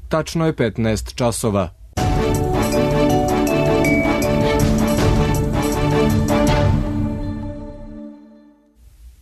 Tačno je 15 časova.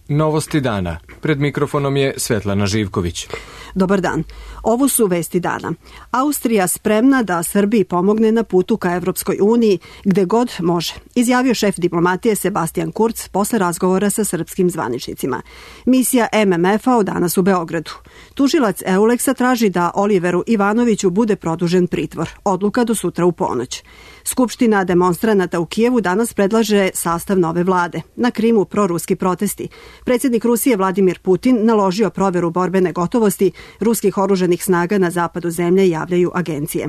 Novosti dana. Pred mikrofonom je Svetlana Živković. Dobar dan. Ovo su vesti dana. Austrija spremna da Srbiji pomogne na putu ka Evropskoj uniji gde god može, izjavio šef diplomatije Sebastian Kurz posle razgovora sa srpskim zvaničnicima. Misija MMF-a od danas u Beogradu. Tužilac Euleksa traži da Oliveru Ivanoviću bude produžen pritvor. Odluka do sutra u ponoć. Skupština demonstranata u Kijevu danas predlaže sastav nove vlade. Na Krimu proruski protesti. Predsjednik Rusije Vladimir Putin naložio proveru borbene gotovosti ruskih oružanih snaga na zapadu zemlje, javljaju agencije.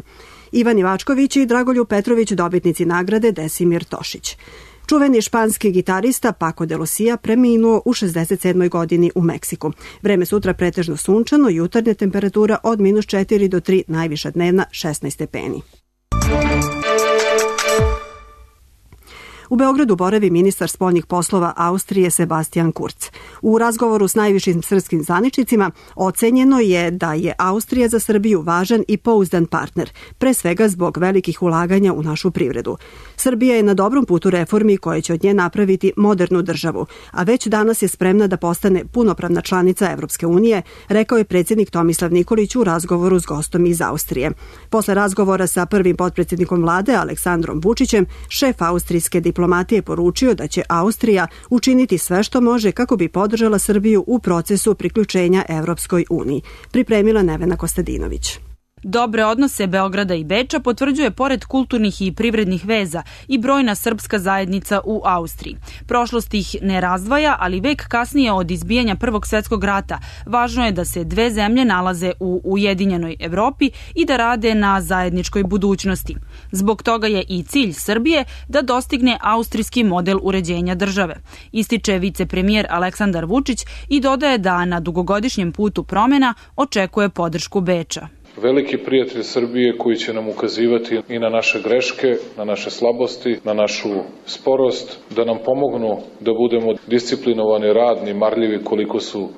Ivan Ivačković i Dragoljub Petrović dobitnici nagrade Desimir Tošić. Čuveni španski gitarista Paco de Lucia preminuo u 67. godini u Meksiku. Vreme sutra pretežno sunčano, jutarnja temperatura od -4 do 3, najviša dnevna 16 stepeni. U Beogradu boravi ministar spoljnih poslova Austrije Sebastian Kurz. U razgovoru s najvišim srpskim zvaničnicima ocenjeno je da je Austrija za Srbiju važan i pouzdan partner, pre svega zbog velikih ulaganja u našu privredu. Srbija je na dobrom putu reformi koje će od nje napraviti modernu državu, a već danas je spremna da postane punopravna članica Evropske unije, rekao je predsjednik Tomislav Nikolić u razgovoru s gostom iz Austrije. Posle razgovora sa prvim potpredsjednikom vlade Aleksandrom Vučićem, šef austrijske diplomatije poručio da će Austrija učiniti sve što može kako bi podržala Srbiju u procesu priključenja Evropskoj uniji. Pripremila Nevena Kostadinović. Dobre odnose Beograda i Beča potvrđuje pored kulturnih i privrednih veza i brojna srpska zajednica u Austriji. Prošlost ih ne razdvaja, ali vek kasnije od izbijanja Prvog svjetskog rata važno je da se dve zemlje nalaze u ujedinjenoj Evropi i da rade na zajedničkoj budućnosti. Zbog toga je i cilj Srbije da dostigne austrijski model uređenja države, ističe vicepremijer Aleksandar Vučić i dodaje da na dugogodišnjem putu promjena očekuje podršku Beča. Veliki prijatelj Srbije koji će nam ukazivati i na naše greške, na naše slabosti, na našu sporost, da nam pomognu da budemo disciplinovani, radni, marljivi koliko su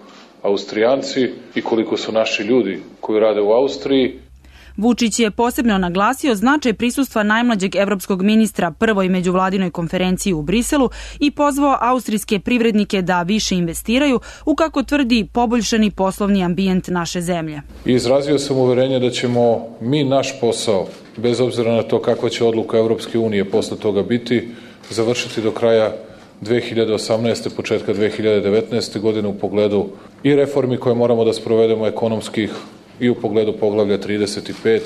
Austrijanci i koliko su naši ljudi koji rade u Austriji. Vučić je posebno naglasio značaj prisustva najmlađeg evropskog ministra prvoj međuvladinoj konferenciji u Briselu i pozvao austrijske privrednike da više investiraju u, kako tvrdi, poboljšani poslovni ambijent naše zemlje. Izrazio sam uverenje da ćemo mi naš posao, bez obzira na to kakva će odluka Evropske unije posle toga biti, završiti do kraja 2018. početka 2019. godine u pogledu i reformi koje moramo da sprovedemo ekonomskih i u pogledu poglavlja 35,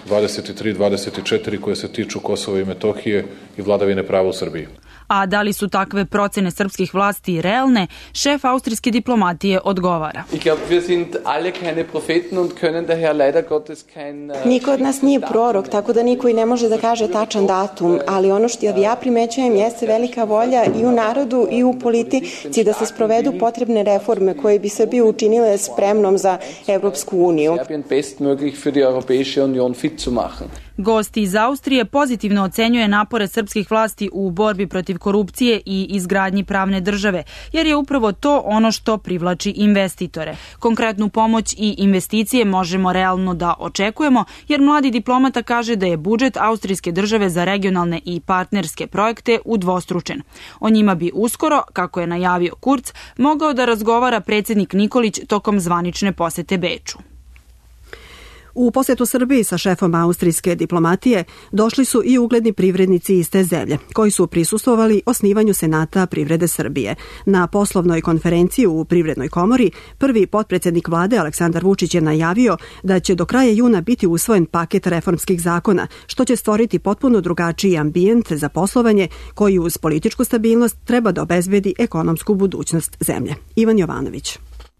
23, 24 koje se tiču Kosova i Metohije i vladavine prava u Srbiji. A da li su takve procene srpskih vlasti realne, šef austrijske diplomatije odgovara. Niko od nas nije prorok, tako da niko i ne može da kaže tačan datum, ali ono što ja primećujem jeste velika volja i u narodu i u politici da se sprovedu potrebne reforme koje bi Srbiju učinile spremnom za Evropsku uniju. Gost iz Austrije pozitivno ocenjuje napore srpskih vlasti u borbi protiv korupcije i izgradnji pravne države, jer je upravo to ono što privlači investitore. Konkretnu pomoć i investicije možemo realno da očekujemo, jer mladi diplomata kaže da je budžet austrijske države za regionalne i partnerske projekte udvostručen. O njima bi uskoro, kako je najavio Kurz, mogao da razgovara predsjednik Nikolić tokom zvanične posete Beču. U posjetu Srbiji sa šefom austrijske diplomatije došli su i ugledni privrednici iz te zemlje, koji su prisustvovali osnivanju Senata privrede Srbije. Na poslovnoj konferenciji u Privrednoj komori prvi potpredsjednik vlade Aleksandar Vučić je najavio da će do kraja juna biti usvojen paket reformskih zakona, što će stvoriti potpuno drugačiji ambijent za poslovanje koji uz političku stabilnost treba da obezbedi ekonomsku budućnost zemlje. Ivan Jovanović.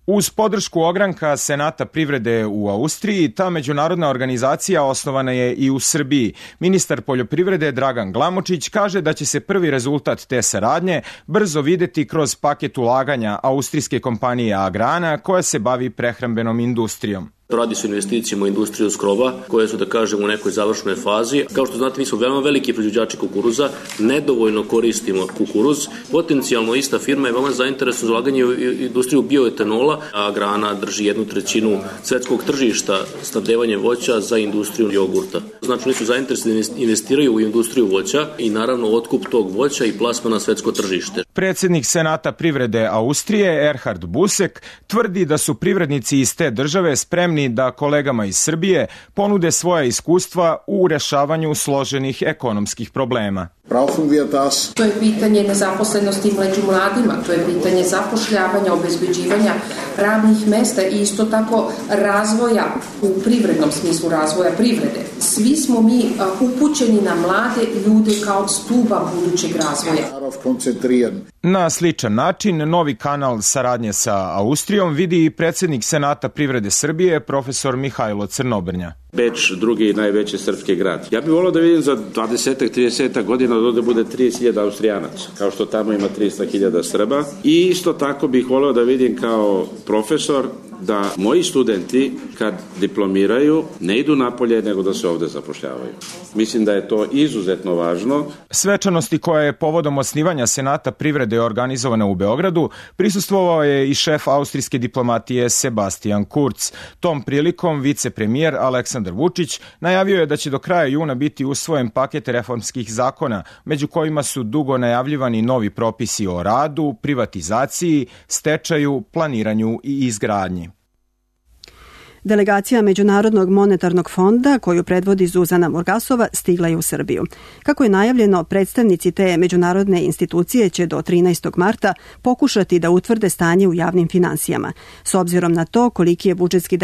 Uz podršku ogranka Senata privrede u Austriji, ta međunarodna organizacija osnovana je i u Srbiji. Ministar poljoprivrede Dragan Glamočić kaže da će se prvi rezultat te saradnje brzo videti kroz paket ulaganja austrijske kompanije Agrana koja se bavi prehrambenom industrijom. Radi se o investicijama u industriju skrova, koje su, da kažem, u nekoj završnoj fazi. Kao što znate, mi smo veoma veliki proizvođači kukuruza, nedovoljno koristimo kukuruz. Potencijalno ista firma je veoma zainteresovana za ulaganje u industriju bioetanola, a grana drži 1/3 svetskog tržišta snabdevanje voća za industriju jogurta. Znači, oni su zainteresovani da investiraju u industriju voća i naravno otkup tog voća i plasma na svetsko tržište. Predsjednik Senata privrede Austrije, Erhard Busek, tvrdi da su privrednici iz te države spremni da kolegama iz Srbije ponude svoja iskustva u rešavanju složenih ekonomskih problema. To je pitanje nezaposlenosti među mladima, to je pitanje zapošljavanja, obezbeđivanja radnih mesta i isto tako razvoja u privrednom smislu, razvoja privrede. Svi smo mi upućeni na mlade ljude kao stuba budućeg razvoja. Na sličan način, novi kanal saradnje sa Austrijom vidi i predsjednik Senata privrede Srbije, profesor Mihajlo Crnobrnja. Beč, drugi najveći srpski grad. Ja bih volio da vidim za 20-30 godina da ovde bude 30.000 Austrijanaca, kao što tamo ima 300.000 Srba. I isto tako bih volio da vidim kao profesor da moji studenti kad diplomiraju ne idu napolje nego da se ovde zapošljavaju. Mislim da je to izuzetno važno. Svečanosti koja je povodom osnivanja Senata privrede organizovana u Beogradu prisustvovao je i šef austrijske diplomatije Sebastian Kurz. Tom prilikom vicepremijer Aleksandar Vučić najavio je da će do kraja juna biti usvojen paket reformskih zakona, među kojima su dugo najavljivani novi propisi o radu, privatizaciji, stečaju, planiranju i izgradnji. Delegacija Međunarodnog monetarnog fonda, koju predvodi Zuzana Morgasova, stigla je u Srbiju. Kako je najavljeno, predstavnici te međunarodne institucije će do 13. marta pokušati da utvrde stanje u javnim finansijama. S obzirom na to koliki je budžetski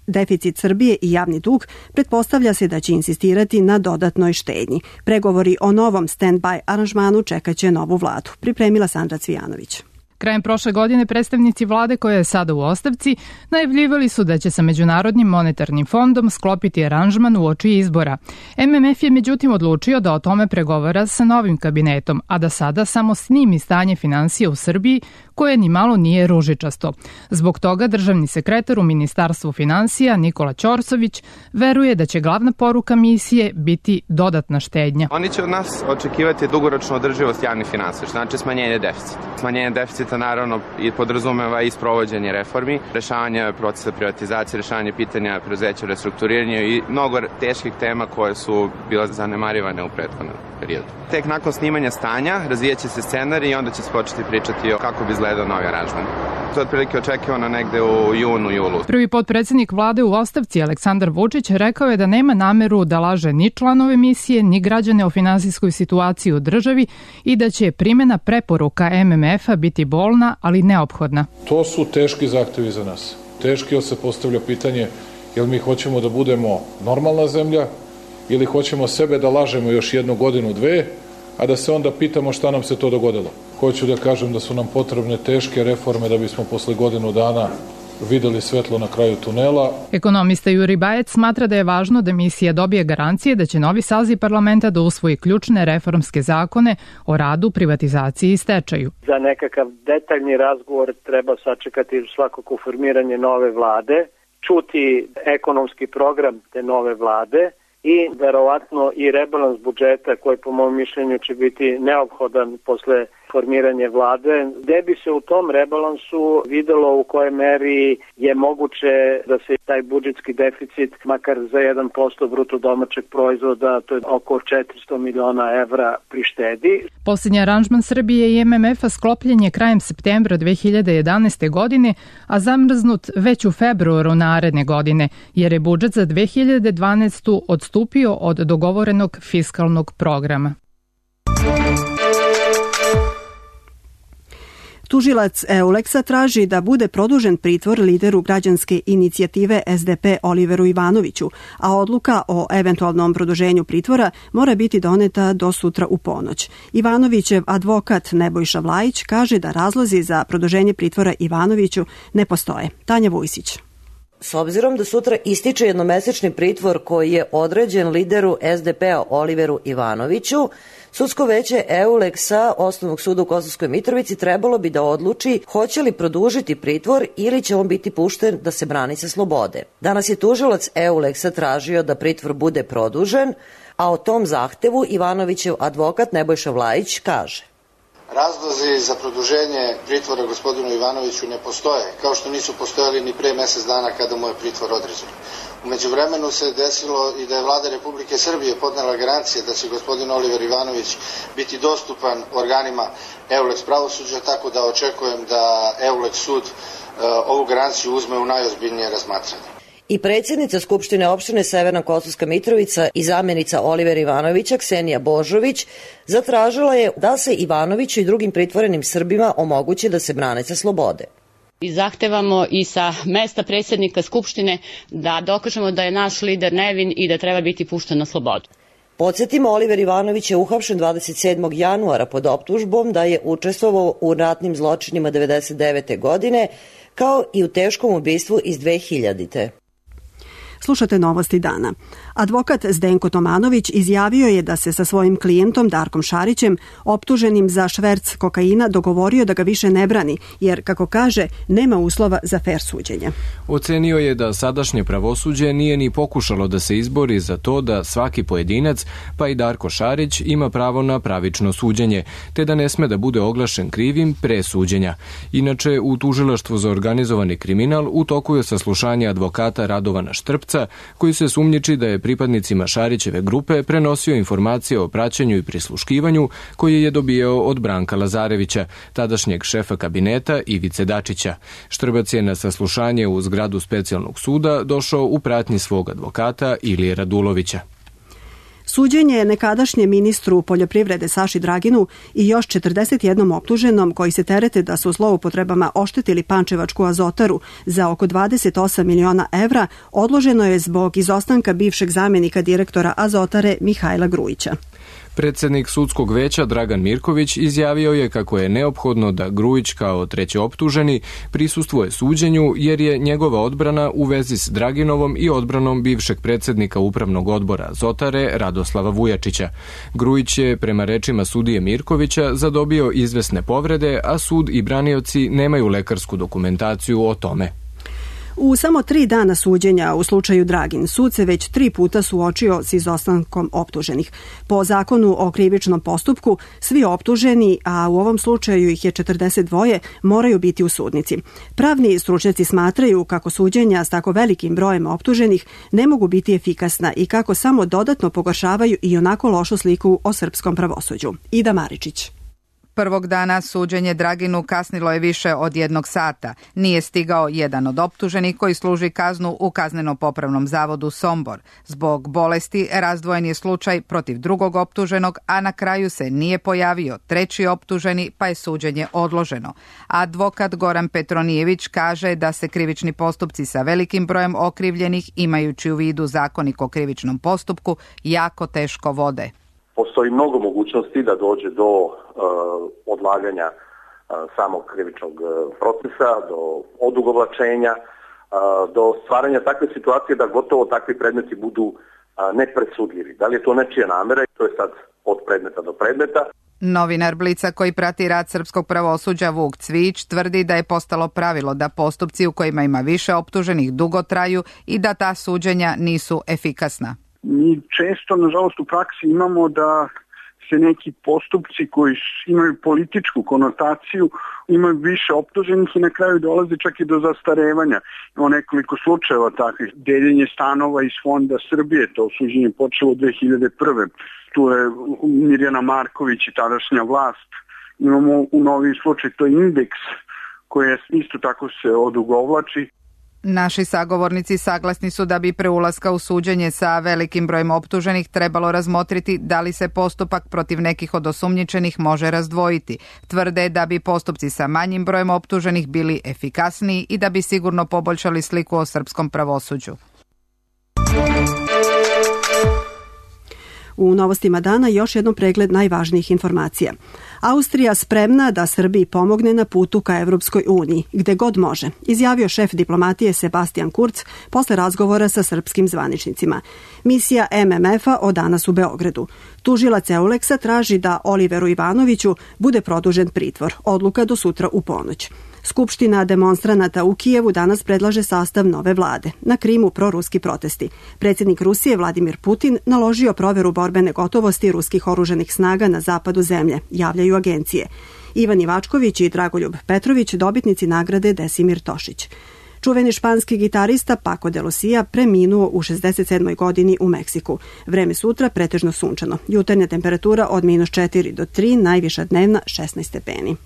deficit Srbije i javni dug, pretpostavlja se da će insistirati na dodatnoj štednji. Pregovori o novom stand-by aranžmanu čekaće novu vladu. Pripremila Sandra Cvijanović. Krajem prošle godine predstavnici vlade koja je sada u ostavci najavljivali su da će sa Međunarodnim monetarnim fondom sklopiti aranžman uoči izbora. MMF je međutim odlučio da o tome pregovara sa novim kabinetom, a da sada samo snimi stanje finansija u Srbiji koje ni malo nije ružičasto. Zbog toga državni sekretar u Ministarstvu finansija Nikola Ćorsović veruje da će glavna poruka misije biti dodatna štednja. Oni će od nas očekivati dugoročnu održivost javnih finansija, znači smanjenje deficita. Smanjenje deficita naravno i podrazumeva i sprovođenje reformi, rešavanje procesa privatizacije, rešavanje pitanja preduzeća u restrukturiranju i mnogo teških tema koje su bile zanemarivane u prethodnom periodu. Tek nakon snimanja stanja razvijeće se scenarij i onda će se početi pričati o kako bi izgledao novi aranžman. To je otprilike očekivano negde u junu-julu. Prvi potpredsjednik vlade u ostavci Aleksandar Vučić rekao je da nema nameru da laže ni članove misije, ni građane o finansijskoj situaciji u državi i da će primjena preporuka MMF-a biti bolna, ali neophodna. To su teški zahtevi za nas. Teški, jer se postavlja pitanje jel mi hoćemo da budemo normalna zemlja ili hoćemo sebe da lažemo još 1 godinu, 2, a da se onda pitamo šta nam se to dogodilo. Hoću da kažem da su nam potrebne teške reforme da bismo posle godinu dana videli svetlo na kraju tunela. Ekonomista Juri Bajec smatra da je važno da misija dobije garancije da će novi saziv parlamenta da usvoji ključne reformske zakone o radu, privatizaciji i stečaju. Za nekakav detaljni razgovor treba sačekati svakako formiranje nove vlade, čuti ekonomski program te nove vlade i verovatno i rebalans budžeta koji po mom mišljenju će biti neophodan posle formiranje vlade, gde bi se u tom rebalansu videlo u kojoj meri je moguće da se taj budžetski deficit makar za 1% bruto domaćeg proizvoda, to je oko 400 miliona evra, prištedi. Posljednji aranžman Srbije i MMF-a sklopljen je krajem septembra 2011. godine, a zamrznut već u februaru naredne godine, jer je budžet za 2012. odstupio od dogovorenog fiskalnog programa. Tužilac Euleksa traži da bude produžen pritvor lideru građanske inicijative SDP Oliveru Ivanoviću, a odluka o eventualnom produženju pritvora mora biti doneta do sutra u ponoć. Ivanovićev advokat Nebojša Vlajić kaže da razlozi za produženje pritvora Ivanoviću ne postoje. Tanja Vujsić. S obzirom da sutra ističe jednomesečni pritvor koji je određen lideru SDP-a Oliveru Ivanoviću, Sudsko veće EULEX-a Osnovnog suda u Kosovskoj Mitrovici trebalo bi da odluči hoće li produžiti pritvor ili će on biti pušten da se brani sa slobode. Danas je tužilac EULEX-a tražio da pritvor bude produžen, a o tom zahtevu Ivanovićev advokat Nebojša Vlajić kaže: Razlozi za produženje pritvora gospodinu Ivanoviću ne postoje, kao što nisu postojali ni pre mesec dana kada mu je pritvor određen. U međuvremenu se desilo i da je Vlada Republike Srbije podnela garancije da će gospodin Oliver Ivanović biti dostupan organima EULEX pravosuđa, tako da očekujem da EULEX sud ovu garanciju uzme u najozbiljnije razmatranje. I predsjednica Skupštine opštine Severna Kosovska Mitrovica i zamjenica Olivera Ivanovića, Ksenija Božović, zatražila je da se Ivanoviću i drugim pritvorenim Srbima omogući da se brane sa slobode. I zahtevamo i sa mesta predsjednika Skupštine da dokažemo da je naš lider nevin i da treba biti pušten na slobodu. Podsjetimo, Oliver Ivanović je uhapšen 27. januara pod optužbom da je učestvovao u ratnim zločinima 1999. godine, kao i u teškom ubistvu iz 2000. Slušate Novosti dana. Advokat Zdenko Tomanović izjavio je da se sa svojim klijentom Darkom Šarićem, optuženim za šverc kokaina, dogovorio da ga više ne brani, jer, kako kaže, nema uslova za fer suđenje. Ocenio je da sadašnje pravosuđe nije ni pokušalo da se izbori za to da svaki pojedinac, pa i Darko Šarić, ima pravo na pravično suđenje, te da ne sme da bude oglašen krivim pre suđenja. Inače, u Tužilaštvu za organizovani kriminal u toku je saslušanje advokata Radovana Štrpca, koji se sumnjiči da je pripadnicima Šarićeve grupe prenosio informacije o praćenju i prisluškivanju koje je dobijao od Branka Lazarevića, tadašnjeg šefa kabineta Ivice Dačića. Štrbac je na saslušanje u zgradu specijalnog suda došao u pratnji svog advokata Ilije Radulovića. Suđenje je nekadašnjem ministru poljoprivrede Saši Draginu i još 41 optuženom koji se terete da su zloupotrebama oštetili Pančevačku azotaru za oko 28 miliona evra odloženo je zbog izostanka bivšeg zamjenika direktora azotare Mihajla Grujića. Predsednik sudskog veća Dragan Mirković izjavio je kako je neophodno da Grujić kao treći optuženi prisustvuje suđenju jer je njegova odbrana u vezi s Draginovom i odbranom bivšeg predsednika upravnog odbora Azotare Radoslava Vujačića. Grujić je, prema rečima sudije Mirkovića, zadobio izvesne povrede, a sud i branioci nemaju lekarsku dokumentaciju o tome. U samo 3 dana suđenja u slučaju Dragin, sud se već 3 puta suočio s izostankom optuženih. Po zakonu o krivičnom postupku, svi optuženi, a u ovom slučaju ih je 42, moraju biti u sudnici. Pravni stručnjaci smatraju kako suđenja s tako velikim brojem optuženih ne mogu biti efikasna i kako samo dodatno pogoršavaju i onako lošu sliku o srpskom pravosuđu. Ida Maričić. Prvog dana suđenje Draginu kasnilo je više od 1 sata. Nije stigao jedan od optuženih koji služi kaznu u Kazneno-popravnom zavodu Sombor. Zbog bolesti razdvojen je slučaj protiv drugog optuženog, a na kraju se nije pojavio treći optuženi, pa je suđenje odloženo. Advokat Goran Petronijević kaže da se krivični postupci sa velikim brojem okrivljenih, imajući u vidu Zakonik o krivičnom postupku, jako teško vode. Postoji mnogo mogućnosti da dođe do odlaganja samog krivičnog procesa, do odugovlačenja, do stvaranja takve situacije da gotovo takvi predmeti budu nepresudljivi. Da li je to nečija namera, to je sad od predmeta do predmeta. Novinar Blica koji prati rad srpskog pravosuđa Vuk Cvić tvrdi da je postalo pravilo da postupci u kojima ima više optuženih dugo traju i da ta suđenja nisu efikasna. Mi često, nažalost, u praksi imamo da se neki postupci koji imaju političku konotaciju, imaju više optuženih i na kraju dolaze čak i do zastarevanja. Imamo nekoliko slučajeva takvih. Deljenje stanova iz Fonda Srbije, to suđenje počelo 2001. Tu je Mirjana Marković i tadašnja vlast. Imamo u novi slučaj, to je Indeks, koji isto tako se odugovlači. Naši sagovornici saglasni su da bi pre ulaska u suđenje sa velikim brojem optuženih trebalo razmotriti da li se postupak protiv nekih od osumnjičenih može razdvojiti. Tvrde da bi postupci sa manjim brojem optuženih bili efikasniji i da bi sigurno poboljšali sliku o srpskom pravosuđu. U novostima dana još jednom pregled najvažnijih informacija. Austrija spremna da Srbiji pomogne na putu ka Evropskoj uniji, gde god može, izjavio šef diplomatije Sebastian Kurz posle razgovora sa srpskim zvaničnicima. Misija MMF-a od danas u Beogradu. Tužilac Euleksa traži da Oliveru Ivanoviću bude produžen pritvor. Odluka do sutra u ponoć. Skupština demonstranata u Kijevu danas predlaže sastav nove vlade. Na Krimu proruski protesti. Predsjednik Rusije Vladimir Putin naložio proveru borbene gotovosti ruskih oružanih snaga na zapadu zemlje, javljaju agencije. Ivan Ivačković i Dragoljub Petrović dobitnici nagrade Desimir Tošić. Čuveni španski gitarista Paco de Lucia preminuo u 67. godini u Meksiku. Vreme sutra pretežno sunčano. Jutarnja temperatura od -4 do 3, najviša dnevna 16 stepeni.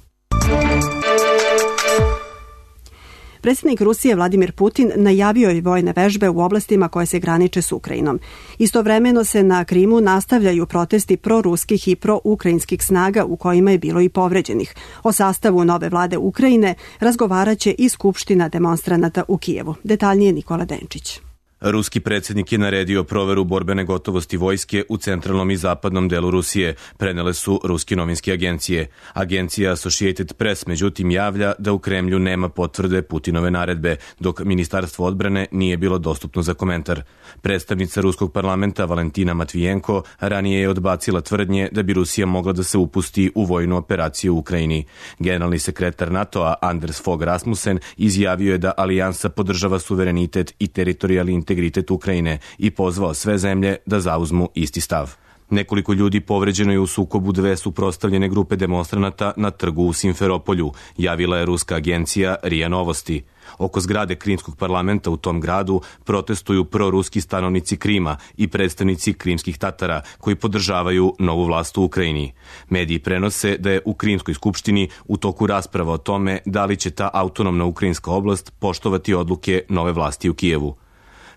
Predsjednik Rusije Vladimir Putin najavio je vojne vežbe u oblastima koje se graniče s Ukrajinom. Istovremeno se na Krimu nastavljaju protesti proruskih i proukrajinskih snaga u kojima je bilo i povređenih. O sastavu nove vlade Ukrajine razgovaraće i Skupština demonstranata u Kijevu. Detaljnije Nikola Denčić. Ruski predsjednik je naredio proveru borbene gotovosti vojske u centralnom i zapadnom delu Rusije, prenele su ruske novinske agencije. Agencija Associated Press međutim javlja da u Kremlju nema potvrde Putinove naredbe, dok Ministarstvo odbrane nije bilo dostupno za komentar. Predstavnica ruskog parlamenta Valentina Matvijenko ranije je odbacila tvrdnje da bi Rusija mogla da se upusti u vojnu operaciju u Ukrajini. Generalni sekretar NATO-a Anders Fogh Rasmussen izjavio je da alijansa podržava suverenitet i teritorijalni integritet Ukrajine i pozvao sve zemlje da zauzmu isti stav. Nekoliko ljudi povređeno je u sukobu dve suprotstavljene grupe demonstranata na trgu u Simferopolju, javila je ruska agencija RIA Novosti. Oko zgrade Krimskog parlamenta u tom gradu protestuju proruski stanovnici Krima i predstavnici krimskih Tatara koji podržavaju novu vlast u Ukrajini. Mediji prenose da je u Krimskoj skupštini u toku rasprava o tome da li će ta autonomna ukrajinska oblast poštovati odluke nove vlasti u Kijevu.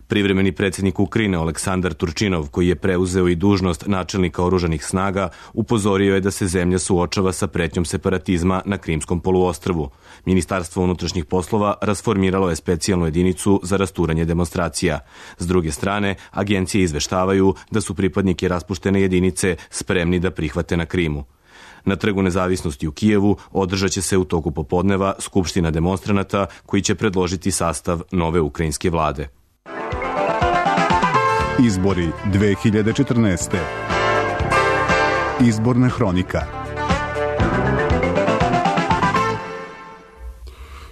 Privremeni predsjednik Ukrajine Aleksandar Turčinov, koji je preuzeo i dužnost načelnika oružanih snaga, upozorio je da se zemlja suočava sa pretnjom separatizma na Krimskom poluostrvu. Ministarstvo unutrašnjih poslova rasformiralo je specijalnu jedinicu za rasturanje demonstracija. S druge strane, agencije izveštavaju da su pripadnike raspuštene jedinice spremni da prihvate na Krimu. Na Trgu nezavisnosti u Kijevu održat će se u toku popodneva skupština demonstranata koji će predložiti sastav nove ukrajinske vlade. Izbori 2014. Izborna hronika.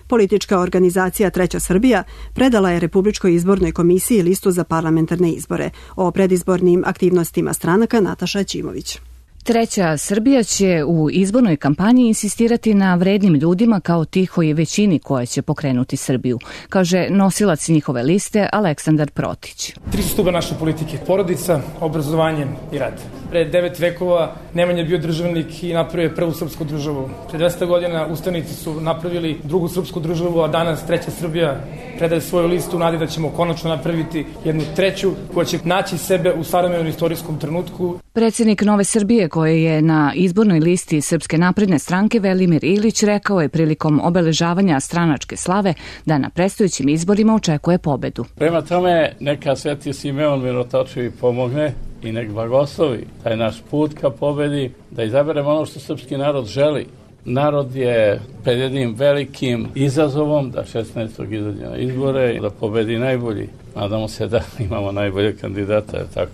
Politička organizacija Treća Srbija predala je Republičkoj izbornoj komisiji listu za parlamentarne izbore. O predizbornim aktivnostima stranaka Nataša Ćimović. Treća Srbija će u izbornoj kampanji insistirati na vrednim ljudima kao tihoj većini koja će pokrenuti Srbiju, kaže nosilac njihove liste Aleksandar Protić. 3 stuba naše politike: porodica, obrazovanje i rad. Pre 9 vekova Nemanja je bio državnik i napravio prvu srpsku državu. Pre 200 godina ustanici su napravili drugu srpsku državu, a danas Treća Srbija predaje svoju listu u nadi da ćemo konačno napraviti jednu treću koja će naći sebe u savremenom istorijskom trenutku. Predsjednik Nove Srbije, koji je na izbornoj listi Srpske napredne stranke, Velimir Ilić, rekao je prilikom obeležavanja stranačke slave da na predstojećim izborima očekuje pobedu. Prema tome, neka Sveti Simeon Mirotočivi pomogne i nek blagoslovi taj naš put ka pobedi, da izaberemo ono što srpski narod želi. Narod je pred jednim velikim izazovom da 16. izađe na izbore i da pobedi najbolji. Nadamo se da imamo najbolje kandidata, je tako?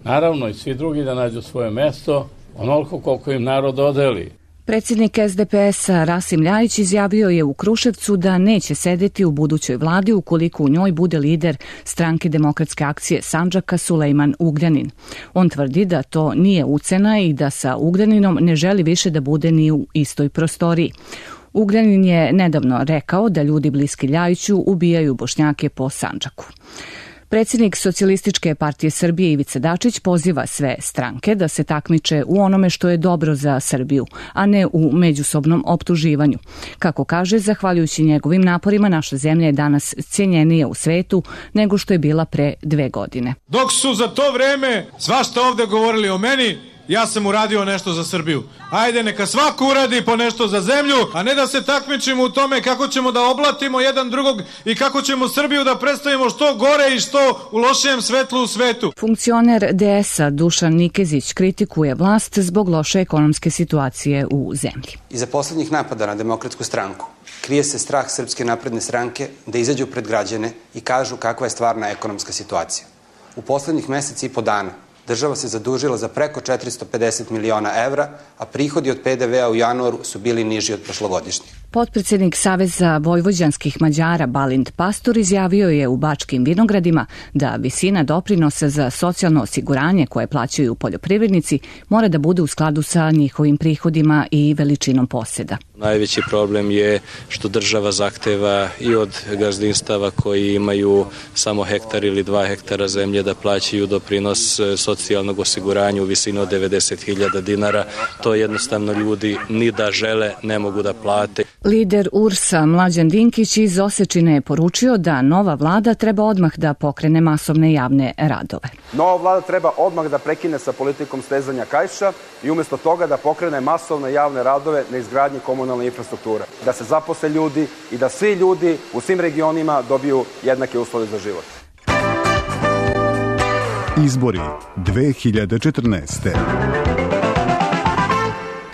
Naravno i svi drugi da nađu svoje mesto, onoliko koliko im narod odeli. Predsjednik SDP-a Rasim Ljajić izjavio je u Kruševcu da neće sedeti u budućoj vladi ukoliko u njoj bude lider Stranke demokratske akcije Sandžaka Sulejman Ugljanin. On tvrdi da to nije ucena i da sa Ugljaninom ne želi više da bude ni u istoj prostoriji. Ugljanin je nedavno rekao da ljudi bliski Ljajiću ubijaju Bošnjake po Sandžaku. Predsjednik Socijalističke partije Srbije Ivica Dačić poziva sve stranke da se takmiče u onome što je dobro za Srbiju, a ne u međusobnom optuživanju. Kako kaže, zahvaljujući njegovim naporima, naša zemlja je danas cijenjenija u svetu nego što je bila pre 2 godine. Dok su za to vreme svašta ovde govorili o meni, ja sam uradio nešto za Srbiju. Ajde, neka svako uradi po nešto za zemlju, a ne da se takmičimo u tome kako ćemo da oblatimo jedan drugog i kako ćemo Srbiju da predstavimo što gore i što u lošijem svetlu u svetu. Funkcioner DS-a Dušan Nikezić kritikuje vlast zbog loše ekonomske situacije u zemlji. Iza poslednjih napada na Demokratsku stranku krije se strah Srpske napredne stranke da izađu pred građane i kažu kakva je stvarna ekonomska situacija. U poslednjih meseci i po dana država se zadužila za preko 450 miliona evra, a prihodi od PDV-a u januaru su bili niži od prošlogodišnjih. Potpredsednik Saveza vojvođanskih Mađara Balint Pastor izjavio je u Bačkim Vinogradima da visina doprinosa za socijalno osiguranje koje plaćaju poljoprivrednici mora da bude u skladu sa njihovim prihodima i veličinom poseda. Najveći problem je što država zahteva i od gazdinstava koji imaju samo hektar ili 2 hektara zemlje da plaćaju doprinos socijalnog osiguranja u visini od 90.000 dinara. To jednostavno ljudi ni da žele ne mogu da plate. Lider URS-a Mlađan Dinkić iz Osečine je poručio da nova vlada treba odmah da pokrene masovne javne radove. Nova vlada treba odmah da prekine sa politikom stezanja kaiša i umjesto toga da pokrene masovne javne radove na izgradnji komunalne infrastrukture. Da se zaposle ljudi i da svi ljudi u svim regionima dobiju jednake uslove za život. Izbori 2014.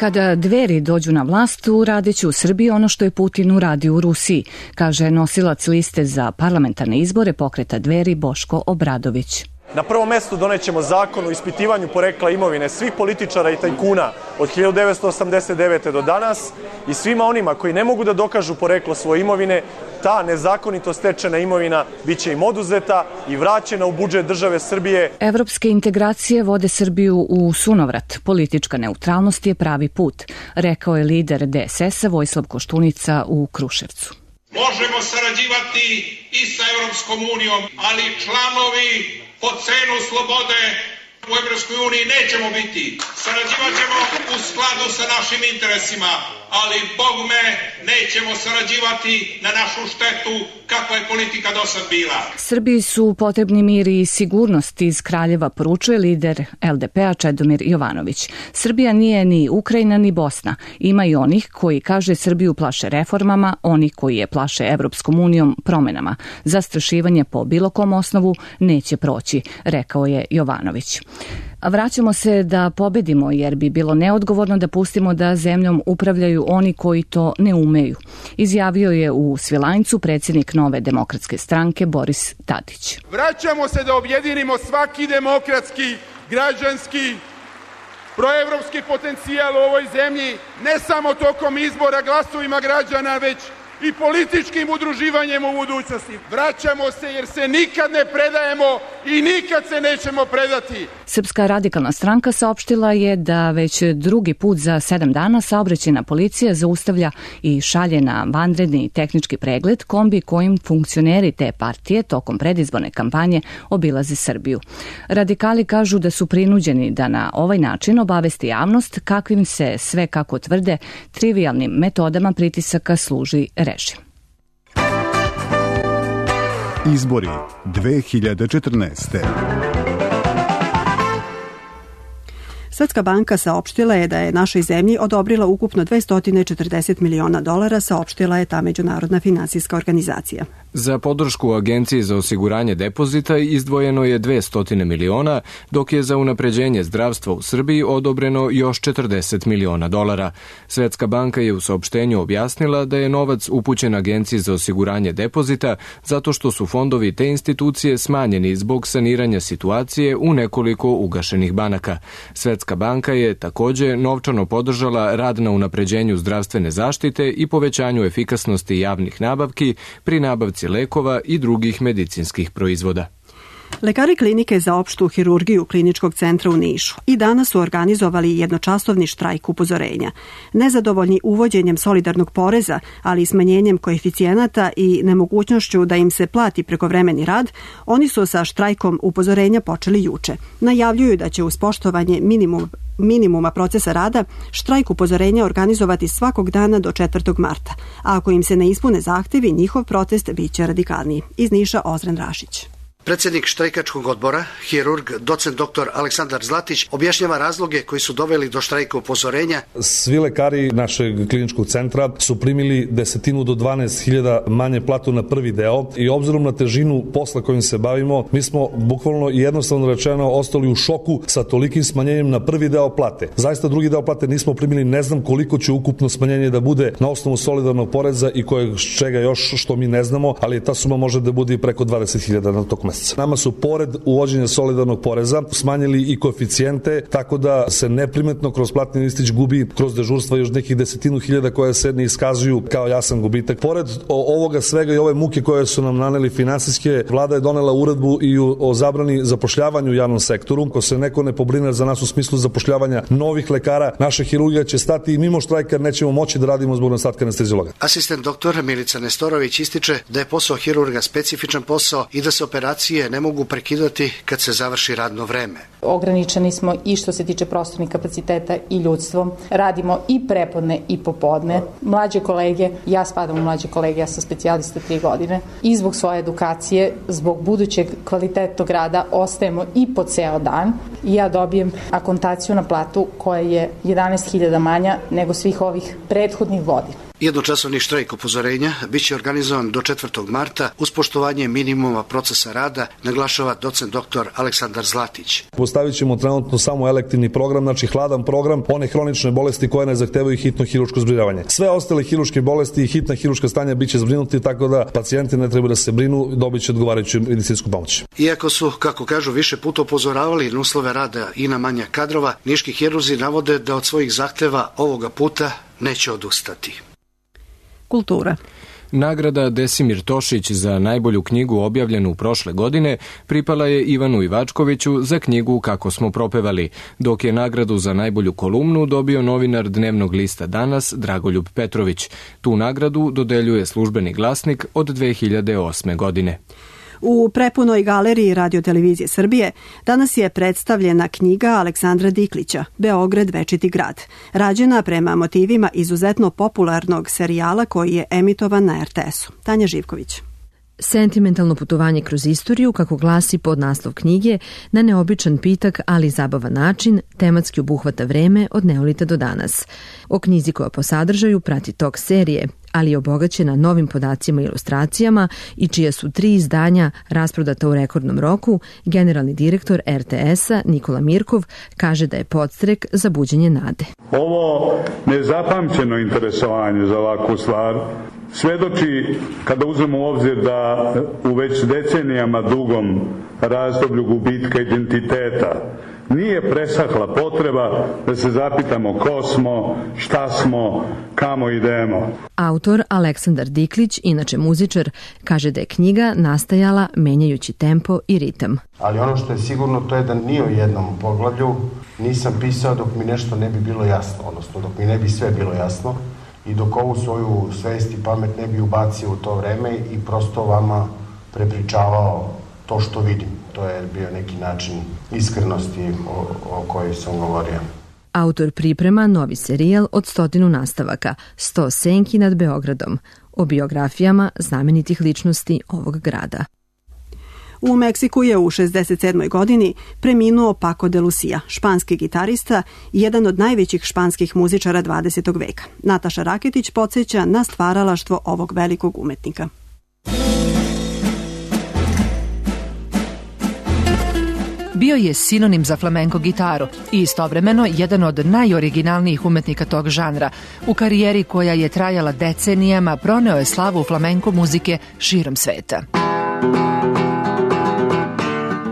Kada Dveri dođu na vlast, uradeću u Srbiji ono što je Putin uradio u Rusiji, kaže nosilac liste za parlamentarne izbore pokreta Dveri Boško Obradović. Na prvom mestu donećemo zakon o ispitivanju porekla imovine svih političara i tajkuna od 1989. do danas i svima onima koji ne mogu da dokažu poreklo svoje imovine, ta nezakonito stečena imovina biće im oduzeta i vraćena u budžet države Srbije. Evropske integracije vode Srbiju u sunovrat. Politička neutralnost je pravi put, rekao je lider DSS-a Vojislav Koštunica u Kruševcu. Možemo sarađivati i sa Evropskom unijom, ali članovi po cenu slobode u Evropskoj uniji nećemo biti. Sarađivaćemo u skladu sa našim interesima, ali Bog me nećemo sarađivati na našu štetu kakva je politika do sad bila. Srbiji su potrebni mir i sigurnost, iz Kraljeva poručuje lider LDP-a Čedomir Jovanović. Srbija nije ni Ukrajina ni Bosna. Ima i onih koji, kaže, Srbiju plaše reformama, oni koji je plaše Evropskom unijom promenama. Zastrašivanje po bilo kom osnovu neće proći, rekao je Jovanović. Vraćamo se da pobedimo, jer bi bilo neodgovorno da pustimo da zemljom upravljaju oni koji to ne umeju, izjavio je u Svilajncu predsjednik Nove demokratske stranke Boris Tadić. Vraćamo se da objedinimo svaki demokratski, građanski, proevropski potencijal u ovoj zemlji, ne samo tokom izbora glasovima građana, već i političkim udruživanjem u budućnosti. Vraćamo se jer se nikad ne predajemo i nikad se nećemo predati. Srpska radikalna stranka saopštila je da već drugi put za 7 dana saobraćajna policija zaustavlja i šalje na vanredni tehnički pregled kombi kojim funkcioneri te partije tokom predizborne kampanje obilaze Srbiju. Radikali kažu da su prinuđeni da na ovaj način obavesti javnost kakvim se sve, kako tvrde, trivijalnim metodama pritisaka služi režim. Izbori 2014. Svetska banka saopštila je da je našoj zemlji odobrila ukupno $240 miliona, saopštila je ta međunarodna finansijska organizacija. Za podršku Agenciji za osiguranje depozita izdvojeno je 200 miliona, dok je za unapređenje zdravstva u Srbiji odobreno još $40 miliona. Svetska banka je u saopštenju objasnila da je novac upućen Agenciji za osiguranje depozita zato što su fondovi te institucije smanjeni zbog saniranja situacije u nekoliko ugašenih banaka. Svetska banka je takođe novčano podržala rad na unapređenju zdravstvene zaštite i povećanju efikasnosti javnih nabavki pri nabavci lekova i drugih medicinskih proizvoda. Lekari klinike za opštu hirurgiju Kliničkog centra u Nišu i danas su organizovali jednočasovni štrajk upozorenja. Nezadovoljni uvođenjem solidarnog poreza, ali i smanjenjem koeficijenata i nemogućnošću da im se plati prekovremeni rad, oni su sa štrajkom upozorenja počeli juče. Najavljuju da će uz poštovanje minimuma procesa rada štrajk upozorenja organizovati svakog dana do 4. marta, a ako im se ne ispune zahtevi, njihov protest biće radikalniji. Iz Niša Ozren Rašić. Predsjednik štrajkačkog odbora, hirurg, docent dr. Aleksandar Zlatić, objašnjava razloge koji su doveli do štrajka upozorenja. Svi lekari našeg kliničkog centra su primili 10 do 12.000 manje platu na prvi deo i obzirom na težinu posla kojim se bavimo, mi smo bukvalno i jednostavno rečeno ostali u šoku sa tolikim smanjenjem na prvi deo plate. Zaista drugi deo plate nismo primili, ne znam koliko će ukupno smanjenje da bude na osnovu solidarnog poreza i kojeg čega još što mi ne znamo, ali ta suma može da bude i preko 20.000 na tog meseca. Nama su pored uvođenja solidarnog poreza smanjili i koeficijente, tako da se neprimetno kroz platni listić gubi kroz dežurstva još nekih 10.000 koje se ne iskazuju kao jasan gubitak. Pored ovoga svega i ove muke koje su nam naneli finansijske, vlada je donela uredbu i o zabrani zapošljavanju u javnom sektoru. Ako se neko ne pobrine za nas u smislu zapošljavanja novih lekara, naša hirurgija će stati i mimo štrajka nećemo moći da radimo zbog nedostatka anesteziologa. Asistent doktora Milica Nestorović ističe da je posao hirurga specifičan posao i da se operacije ne mogu prekidati kad se završi radno vreme. Ograničeni smo i što se tiče prostornih kapaciteta i ljudstvom. Radimo i prepodne i popodne. Mlađe kolege, ja spadam u mlađe kolege, ja sam specijalista 3 godine i zbog svoje edukacije, zbog budućeg kvalitetnog rada ostajemo i po ceo dan i ja dobijem akontaciju na platu koja je 11.000 manja nego svih ovih prethodnih godina. Jednočasovni štrajk upozorenja biće organizovan do 4. marta uz poštovanje minimuma procesa rada, naglašava docent dr. Aleksandar Zlatić. Postavit ćemo trenutno samo elektivni program, znači hladan program, one hronične bolesti koje ne zahtevaju hitno hirurško zbrinjavanje. Sve ostale hirurške bolesti i hitna hirurška stanja biće zbrinuti, tako da pacijenti ne treba da se brinu, dobit će odgovarajuću medicinsku pomoć. Iako su, kako kažu, više puta upozoravali na uslove rada i na manjak kadrova, niški hirurzi navode da od svojih zahteva ovoga puta neće odustati. Kultura. Nagrada Desimir Tošić za najbolju knjigu objavljenu prošle godine pripala je Ivanu Ivačkoviću za knjigu Kako smo propevali, dok je nagradu za najbolju kolumnu dobio novinar dnevnog lista Danas Dragoljub Petrović. Tu nagradu dodeljuje Službeni glasnik od 2008. godine. U prepunoj galeriji Radio-televizije Srbije danas je predstavljena knjiga Aleksandra Diklića, Beograd večiti grad, rađena prema motivima izuzetno popularnog serijala koji je emitovan na RTS-u. Tanja Živković. Sentimentalno putovanje kroz istoriju, kako glasi podnaslov knjige, na neobičan pitak, ali zabavan način, tematski obuhvata vreme od neolita do danas. O knjizi koja po sadržaju prati tok serije, ali je obogaćena novim podacima i ilustracijama i čija su 3 izdanja rasprodata u rekordnom roku, generalni direktor RTS-a Nikola Mirkov kaže da je podstrek za buđenje nade. Ovo nezapamćeno interesovanje za ovakvu stvar svedoči, kada uzmemo u obzir da u već decenijama dugom razdoblju gubitka identiteta nije presahla potreba da se zapitamo ko smo, šta smo, kamo idemo. Autor Aleksandar Diklić, inače muzičar, kaže da je knjiga nastajala menjajući tempo i ritam. Ali ono što je sigurno to je da ni u jednom poglavlju nisam pisao dok mi nešto ne bi bilo jasno, odnosno dok mi ne bi sve bilo jasno i dok ovu svoju svest i pamet ne bi ubacio u to vreme i prosto vama prepričavao to što vidim. To je bio neki način iskrenosti o kojoj sam govorio. Autor priprema novi serijal od 100 nastavaka, 100 senki nad Beogradom, o biografijama znamenitih ličnosti ovog grada. U Meksiku je u 67. godini preminuo Paco de Lucia, španski gitarista i jedan od najvećih španskih muzičara 20. veka. Nataša Raketić podsjeća na stvaralaštvo ovog velikog umetnika. Bio je sinonim za flamenko gitaru i istovremeno jedan od najoriginalnijih umetnika tog žanra. U karijeri koja je trajala decenijama proneo je slavu flamenko muzike širom sveta.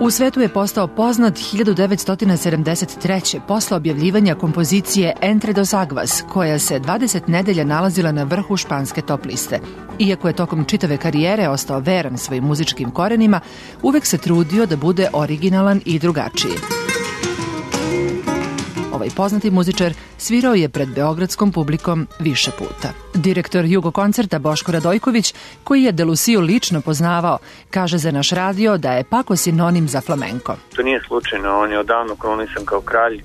U svetu je postao poznat 1973. posle objavljivanja kompozicije Entre dos Aguas, koja se 20 nedelja nalazila na vrhu španske top liste. Iako je tokom čitave karijere ostao veran svojim muzičkim korenima, uvek se trudio da bude originalan i drugačiji. Ovaj poznati muzičar svirao je pred beogradskom publikom više puta. Direktor Jugo koncerta Boško Radojković, koji je de Luciju lično poznavao, kaže za naš radio da je Paco sinonim za flamenko. To nije slučajno, on je odavno kronisan kao kralj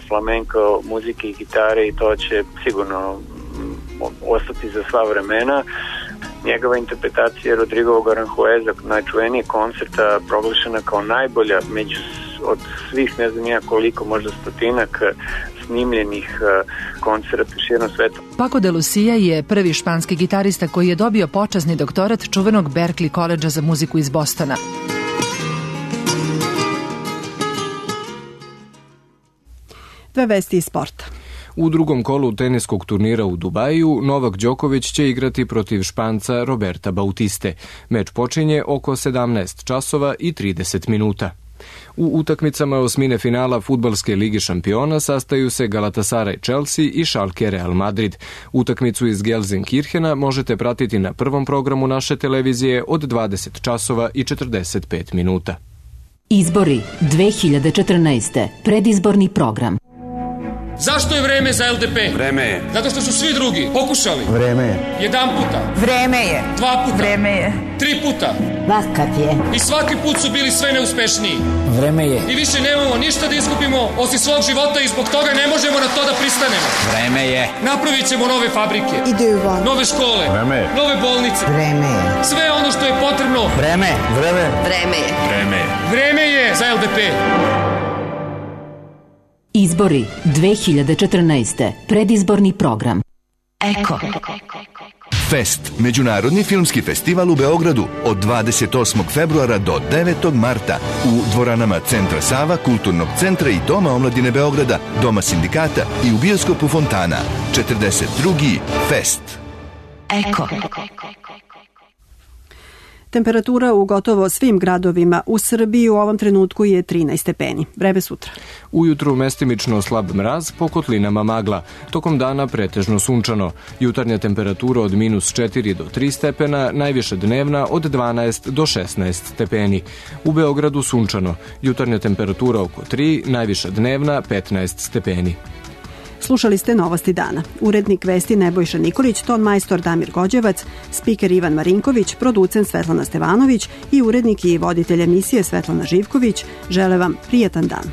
flamenko muzike i gitare i to će sigurno ostati za sva vremena. Njegova interpretacija Rodrigovog Aranjueza, najčuvenijeg koncerta, proglašena kao najbolja od svih, ne znam ja koliko, možda stotinak snimljenih koncerta širom sveta. Paco de Lucia je prvi španski gitarista koji je dobio počasni doktorat čuvenog Berklee koledža za muziku iz Bostona. Dve vesti iz sporta. U drugom kolu teniskog turnira u Dubaju Novak Đoković će igrati protiv Španca Roberta Bautiste. Meč počinje oko 17 časova i 30 minuta. U utakmicama osmine finala Fudbalske lige šampiona sastaju se Galatasaray Chelsea i Schalke Real Madrid. Utakmicu iz Gelsenkirchena možete pratiti na prvom programu naše televizije od 20 časova i 45 minuta. Izbori 2014. Predizborni program. Zašto je vreme za LDP? Vreme je. Zato što su svi drugi pokušali. Vreme je. Jedan puta. Vreme je. Dva puta. Vreme je. 3 puta. Vakat je. I svaki put su bili sve neuspešniji. Vreme je. I više nemamo ništa da izgubimo osim svog života i zbog toga ne možemo na to da pristanemo. Vreme je. Napravit ćemo nove fabrike. Nove škole. Vreme je. Nove bolnice. Vreme je. Sve ono što je potrebno. Vreme. Vreme. Vreme je. Vreme je. Vreme je za LDP. Izbori 2014. Predizborni program. Eko. Fest, međunarodni filmski festival u Beogradu od 28. februara do 9. marta u dvoranama Centra Sava, Kulturnog centra i Doma omladine Beograda, Doma sindikata i u bioskopu Fontana. 42. Fest. Eko. Temperatura u gotovo svim gradovima u Srbiji u ovom trenutku je 13 stepeni. Vreme sutra. Ujutru mestimično slab mraz, po kotlinama magla. Tokom dana pretežno sunčano. Jutarnja temperatura od -4 do 3 stepena, najviša dnevna od 12 do 16 stepeni. U Beogradu sunčano. Jutarnja temperatura oko 3, najviša dnevna 15 stepeni. Slušali ste Novosti dana. Urednik vesti Nebojša Nikolić, ton majstor Damir Gođevac, spiker Ivan Marinković, producent Svetlana Stevanović i urednik i voditelj emisije Svetlana Živković. Žele vam prijetan dan.